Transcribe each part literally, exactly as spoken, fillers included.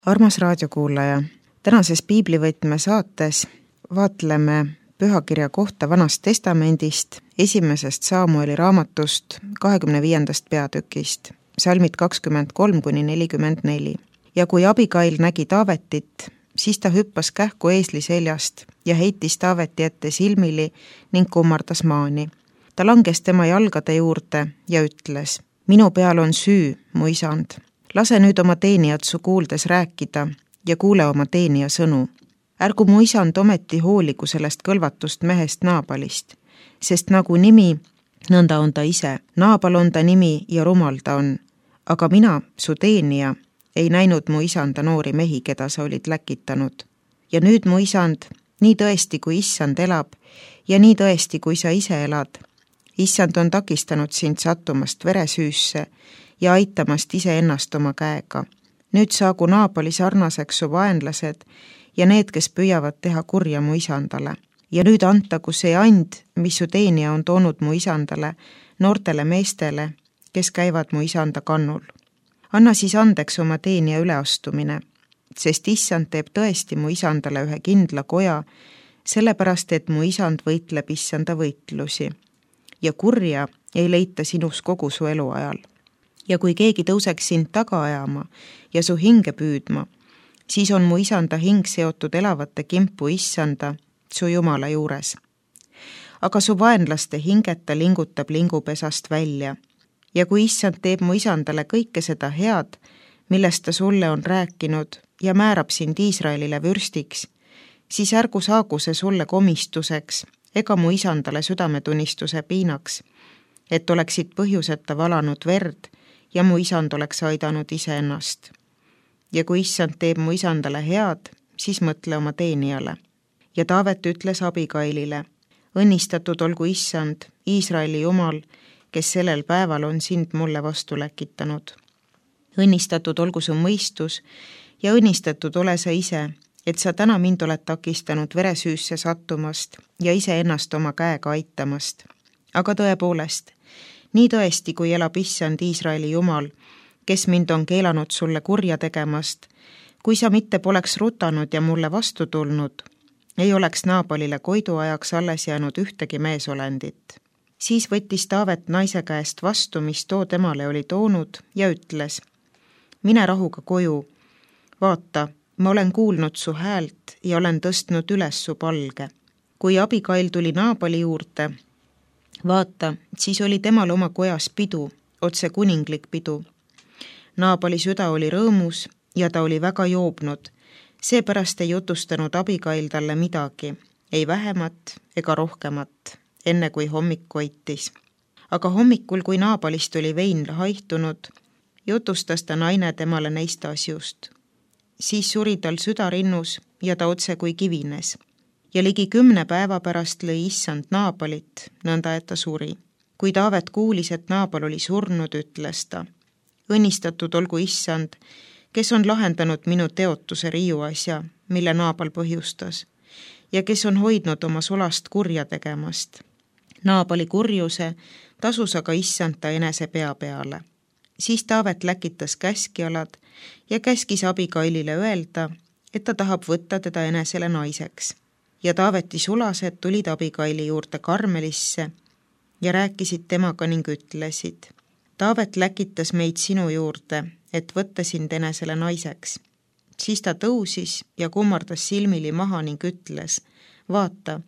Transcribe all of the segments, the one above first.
Armas raadiokuulaja, tänases piiblivõtme saates vaatleme pühakirja kohta Vanast testamendist, esimesest Saamueli raamatust, kahekümne viiendast peatükist, salmid kakskümmend kolm kuni nelikümmend neli. Ja kui Abigail nägi Taavetit, siis ta hüppas kähku eesli seljast ja heitis Taaveti ette silmili ning kummardas maani. Ta langes tema jalgade juurde ja ütles: minu peal on süü, mu isand. Lase nüüd oma teenijat su kuuldes rääkida ja kuule oma teenija sõnu. Ärgu mu isand ometi hooligu sellest kõlvatust mehest Naabalist, sest nagu nimi, nõnda on ta ise. Naabal on ta nimi ja rumal ta on. Aga mina, su teenija, ei näinud mu isanda noori mehi, keda sa olid läkitanud. Ja nüüd mu isand, nii tõesti kui issand elab ja nii tõesti kui sa ise elad. Issand on takistanud sind sattumast veresüüsse ja aitamast ise ennast oma käega. Nüüd saagu Naabali sarnaseks su vaenlased ja need, kes püüavad teha kurja mu isandale. Ja nüüd antagu see and, mis su teenija on toonud mu isandale, noortele meestele, kes käivad mu isanda kannul. Anna siis andeks oma teenija üleastumine, sest issand teeb tõesti mu isandale ühe kindla koja, sellepärast et mu isand võitleb issanda võitlusi. Ja kurja ei leita sinus kogu su eluajal. Ja kui keegi tõuseks sind taga ajama ja su hinge püüdma, siis on mu isanda hing seotud elavate kimpu issanda, su Jumala juures. Aga su vaenlaste hinget ta lingutab lingupesast välja. Ja kui issand teeb mu isandale kõike seda head, millest ta sulle on rääkinud ja määrab sind Iisraelile vürstiks, siis ärgu saagu see sulle komistuseks ega mu isandale südametunnistuse piinaks, et oleksid põhjuseta valanud verd ja mu isand oleks aidanud iseennast. Ja kui issand teeb mu isandale head, siis mõtle oma teenijale. Ja Taavet ütles Abigailile: õnnistatud olgu issand, Iisraeli Jumal, kes sellel päeval on sind mulle vastu läkitanud. Õnnistatud olgu su mõistus ja õnnistatud ole sa ise, et sa täna mind oled takistanud veresüüsse sattumast ja ise ennast oma käega aitamast. Aga tõepoolest, nii tõesti, kui elab issand Iisraeli Jumal, kes mind on keelanud sulle kurja tegemast, kui sa mitte poleks rutanud ja mulle vastu tulnud, ei oleks Naabalile koidu ajaks alles jäänud ühtegi meesolendit. Siis võttis Taavet naise käest vastu, mis too temale oli toonud, ja ütles: mine rahuga koju. Vaata, ma olen kuulnud su häält ja olen tõstnud üles su palge. Kui Abigail tuli Naabali juurde, vaata, siis oli temal oma kojas pidu, otse kuninglik pidu. Naabali süda oli rõõmus ja ta oli väga joobnud, seepärast ei jutustanud Abigail talle midagi, ei vähemat ega rohkemat, enne kui hommik koitis. Aga hommikul, kui Naabalist oli vein haihtunud, jutustas ta naine temale neist asjust. Siis suri tal süda rinnus ja ta otse kui kivines. Ja ligi kümne päeva pärast lõi issand Naabalit, nõnda et ta suri. Kui Taavet kuulis, et Naabal oli surnud, ütles ta: õnnistatud olgu issand, kes on lahendanud minu teotuse riiuasja, mille Naabal põhjustas, ja kes on hoidnud oma sulast kurja tegemast. Naabali kurjuse tasus aga issand ta enese pea peale. Siis Taavet läkitas käskjalad ja käskis Abigailile öelda, et ta tahab võtta teda enesele naiseks. Ja Taaveti sulased tulid Abigaili juurde Karmelisse ja rääkisid temaga ning ütlesid: Taavet läkitas meid sinu juurde, et võtta sind enesele naiseks. Siis ta tõusis ja kummardas silmili maha ning ütles: vaata,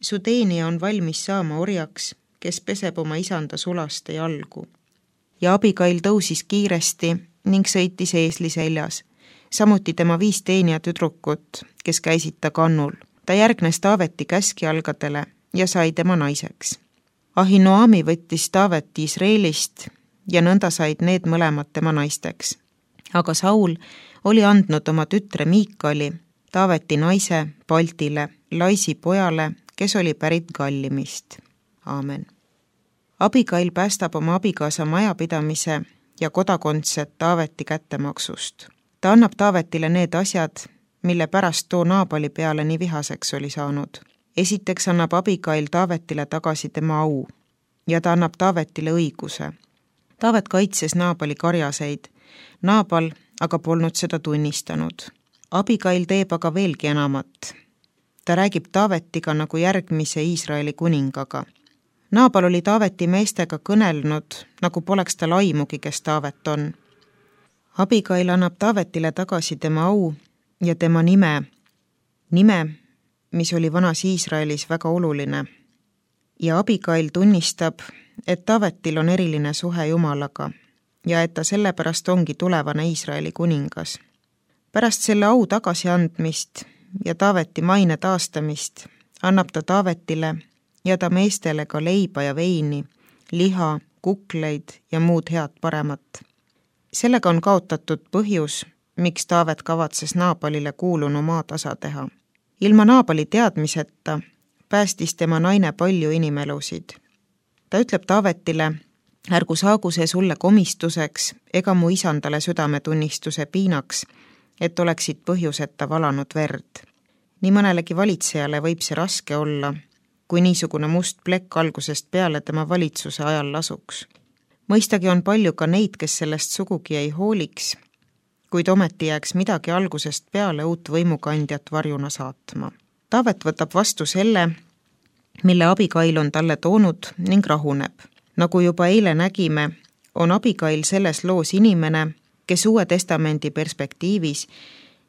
su teenija on valmis saama orjaks, kes peseb oma isanda sulaste jalgu. Ja Abigail tõusis kiiresti ning sõitis eesli seljas, samuti tema viis teenija tüdrukut, kes käisid ta kannul. Ta järgnes Taaveti käskjalgadele ja sai tema naiseks. Ahinoami võttis Taavet Iisraelist ja nõnda said need mõlemad tema naisteks. Aga Saul oli andnud oma tütre Miikali, Taaveti naise, Paltile, Laisi pojale, kes oli pärit Gallimist. Aamen. Abigail päästab oma abikaasa majapidamise ja kodakondset Taaveti kättemaksust. Ta annab Taavetile need asjad, mille pärast too Naabali peale nii vihaseks oli saanud. Esiteks annab Abigail Taavetile tagasi tema au ja ta annab Taavetile õiguse. Taavet kaitses Naabali karjaseid. Naabal aga polnud seda tunnistanud. Abigail teeb aga veelgi enamat. Ta räägib Taavetiga nagu järgmise Iisraeli kuningaga. Naabal oli Taaveti meestega kõnelnud, nagu poleks tal aimugi, kes Taavet on. Abigail annab Taavetile tagasi tema au ja tema nime, nime, mis oli vanas Iisraelis väga oluline. Ja Abigail tunnistab, et Taavetil on eriline suhe Jumalaga ja et ta sellepärast ongi tulevane Iisraeli kuningas. Pärast selle au tagasiandmist ja Taaveti maine taastamist annab ta Taavetile ja ta meestele ka leiba ja veini, liha, kukleid ja muud head paremat. Sellega on kaotatud põhjus, miks Taavet kavatses Naabalile kuulunu maatasa teha. Ilma Naabali teadmiseta päästis tema naine palju inimelusid. Ta ütleb Taavetile, ärgu saagu see sulle komistuseks ega mu isandale südametunnistuse piinaks, et oleksid põhjuseta valanud verd. Nii mõnelegi valitsejale võib see raske olla, kui niisugune must plekk algusest peale tema valitsuse ajal lasuks. Mõistagi on palju ka neid, kes sellest sugugi ei hooliks, kuid ometi jääks midagi algusest peale uut võimukandjat varjuna saatma. Taavet võtab vastu selle, mille Abigail on talle toonud ning rahuneb. Nagu juba eile nägime, on Abigail selles loos inimene, kes Uue Testamendi perspektiivis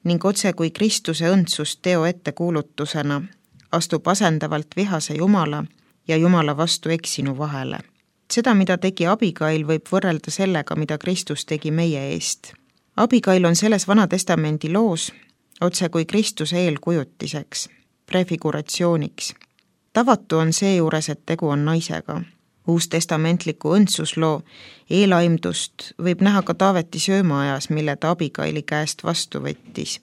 ning otse kui Kristuse õndsust teo ettekuulutusena astub asendavalt vihase Jumala ja Jumala vastu eksinu vahele. Seda, mida tegi Abigail, võib võrrelda sellega, mida Kristus tegi meie eest. Abigail on selles Vana Testamendi loos otse kui Kristuse eelkujutiseks, prefiguratsiooniks. Tavatu on seejuures, et tegu on naisega. Uustestamentliku õndsusloo eelaimdust võib näha ka Taaveti söömaajas, mille ta Abigaili käest vastu võttis.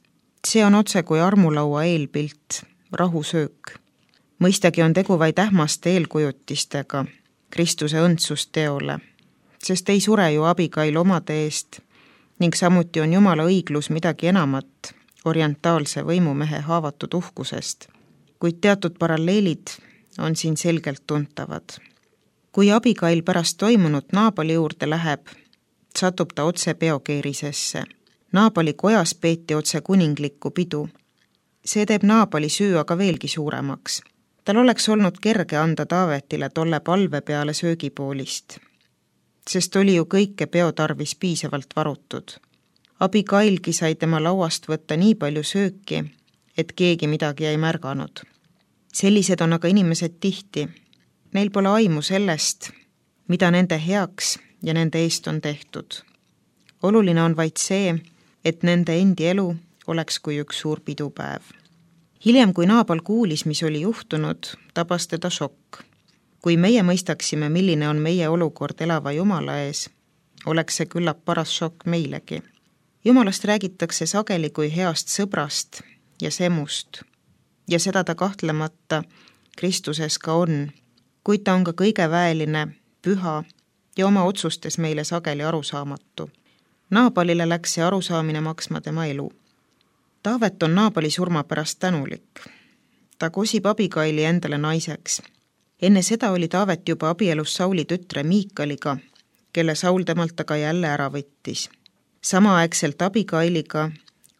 See on otse kui armulaua eelpilt, rahusöök. Mõistagi on tegu vaid ähmaste eelkujutistega Kristuse õndsust teole, sest ei sure ju Abigail omade eest ning samuti on Jumala õiglus midagi enamat orientaalse võimumehe haavatud uhkusest, kuid teatud paralleelid on siin selgelt tuntavad. Kui Abigail pärast toimunut Naabali juurde läheb, satub ta otse peokeerisesse. Naabali kojas peeti otse kuninglikku pidu. See teeb Naabali süü aga veelgi suuremaks. Tal oleks olnud kerge anda Taavetile tolle palve peale söögipoolist, sest oli ju kõike peotarvis piisavalt varutud. Abigailgi sai tema lauast võtta nii palju sööki, et keegi midagi ei märganud. Sellised on aga inimesed tihti. Neil pole aimu sellest, mida nende heaks ja nende eest on tehtud. Oluline on vaid see, et nende endi elu oleks kui üks suur pidupäev. Hiljem, kui Naabal kuulis, mis oli juhtunud, tabas teda šokk. Kui meie mõistaksime, milline on meie olukord elava Jumala ees, oleks see küllap paras šokk meilegi. Jumalast räägitakse sageli kui heast sõbrast ja semust, ja seda ta kahtlemata Kristuses ka on, kuid ta on ka kõige väeline, püha ja oma otsustes meile sageli arusaamatu. Naabalile läks see arusaamine maksma tema elu. Taavet on Naabali surma pärast tänulik. Ta kosib Abigaili endale naiseks. Enne seda oli Taavet juba abielus Sauli tütre Miikaliga, kelle Saul temalt aga jälle ära võttis. Samaaegselt Abigailiga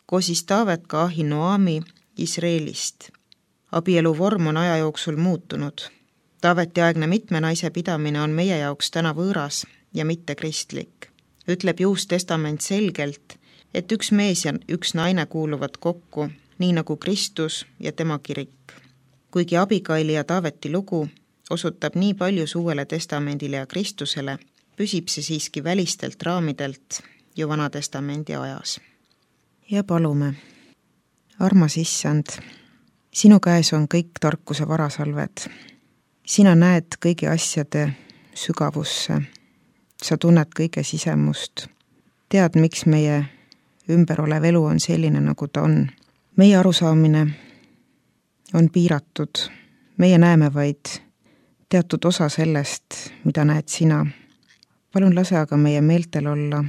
kosis Taavet ka Ahinoami Israelist. Abielu vorm on aja jooksul muutunud. Taaveti aegne mitme naise pidamine on meie jaoks täna võõras ja mitte kristlik. Ütleb Uus Testament selgelt, et üks mees ja üks naine kuuluvad kokku, nii nagu Kristus ja tema kirik. Kuigi Abigaili ja Taaveti lugu osutab nii palju Uuele Testamendile ja Kristusele, püsib see siiski välistelt raamidelt ju Vana Testamendi ajas. Ja palume, armas Issand, sinu käes on kõik tarkuse varasalved. Sina näed kõigi asjade sügavusse. Sa tunned kõige sisemust. Tead, miks meie ümber olev elu on selline, nagu ta on. Meie arusaamine on piiratud. Meie näeme vaid teatud osa sellest, mida näed sina. Palun lase aga meie meeltel olla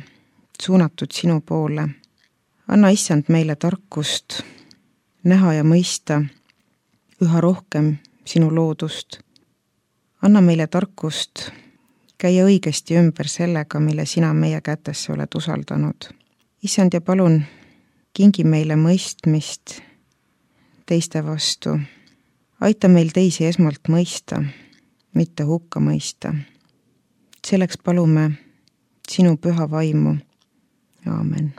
suunatud sinu poole. Anna Issand meile tarkust näha ja mõista üha rohkem sinu loodust. Anna meile tarkust käia õigesti ümber sellega, mille sina meie kätesse oled usaldanud. issand, ja palun kingi meile mõistmist teiste vastu. Aita meil teisi esmalt mõista, mitte hukka mõista. Selleks palume sinu püha vaimu. Aamen.